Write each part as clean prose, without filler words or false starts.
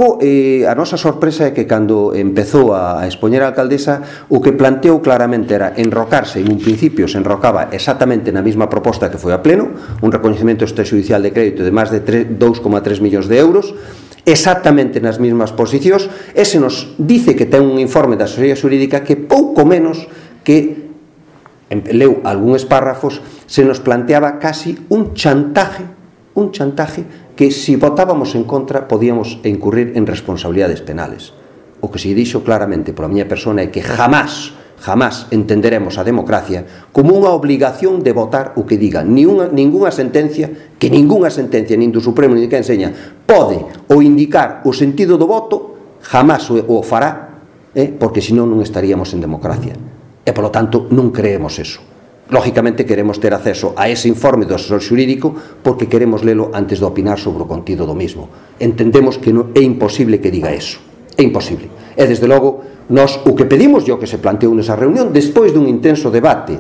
A nosa sorpresa é que cando empezou a expoñer a alcaldesa, o que planteou claramente era enrocarse, en un principio se enrocaba exactamente na mesma proposta que foi a pleno, un recoñecemento extrajudicial de crédito de máis de 2,3 millóns de euros, exactamente nas mesmas posicións, e se nos dice que ten un informe da asesoría xurídica que pouco menos que leu algúns párrafos, se nos planteaba casi un chantaje que se votábamos en contra podíamos incurrir en responsabilidades penales. O que se dixo claramente pola miña persona é que jamás entenderemos a democracia como unha obligación de votar o que diga ningunha sentencia, nin do Supremo nin que enseña pode ou indicar o sentido do voto, jamás o fará, porque senón non estaríamos en democracia. E, polo tanto, non creemos eso. Lógicamente queremos ter acceso a ese informe do asesor xurídico porque queremos lelo antes de opinar sobre o contido do mismo. Entendemos que é imposible que diga eso. É imposible. E, desde logo, nós o que pedimos e o que se planteou nesa reunión, despois dun intenso debate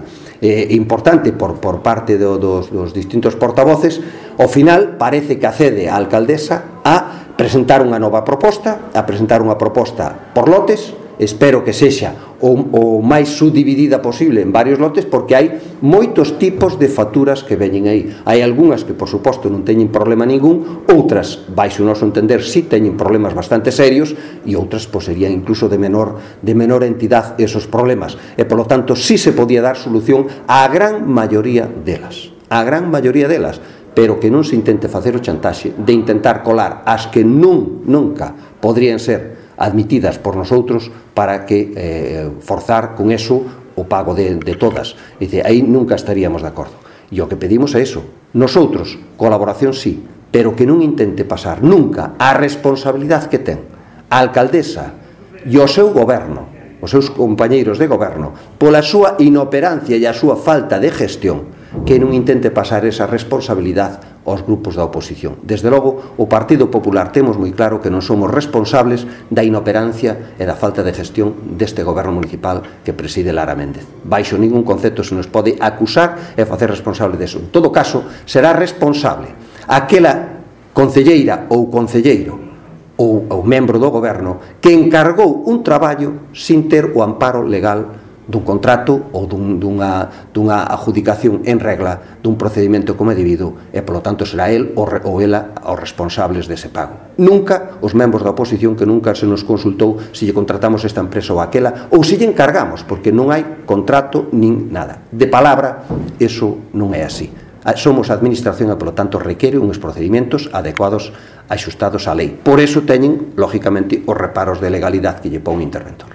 importante por parte dos distintos portavoces, ao final parece que accede a alcaldesa a presentar unha nova proposta, por lotes. Espero que sexa o máis subdividida posible en varios lotes, porque hai moitos tipos de facturas que veñen aí. Hai algunhas que, por suposto, non teñen problema ningún, outras, baixo o noso entender, si teñen problemas bastante serios, e outras, serían incluso de menor entidade esos problemas. E, polo tanto, si se podía dar solución á gran maioría delas. Pero que non se intente facer o chantaxe de intentar colar as que nunca podrían ser admitidas por nosotros para que forzar con eso o pago de todas. Dice, aí nunca estaríamos de acordo. E o que pedimos é eso. Nosotros, colaboración sí, pero que non intente pasar nunca a responsabilidade que ten a alcaldesa e o seu goberno, os seus compañeiros de goberno, pola súa inoperancia e a súa falta de gestión, que non intente pasar esa responsabilidade aos grupos da oposición. Desde logo, o Partido Popular temos moi claro que non somos responsables da inoperancia e da falta de gestión deste goberno municipal que preside Lara Méndez. Baixo ningún concepto se nos pode acusar e facer responsable deso. En todo caso, será responsable aquela concelleira ou concelleiro ou membro do goberno que encargou un traballo sin ter o amparo legal dun contrato ou dunha adjudicación en regla dun procedimento como é debido, e, polo tanto, será el ou ela os responsables dese pago. Nunca os membros da oposición, que nunca se nos consultou se lle contratamos esta empresa ou aquela, ou se lle encargamos, porque non hai contrato nin nada. De palabra, eso non é así. Somos a administración e, polo tanto, requere uns procedimentos adecuados, axustados á lei. Por eso teñen, lógicamente, os reparos de legalidade que lle pon o interventor.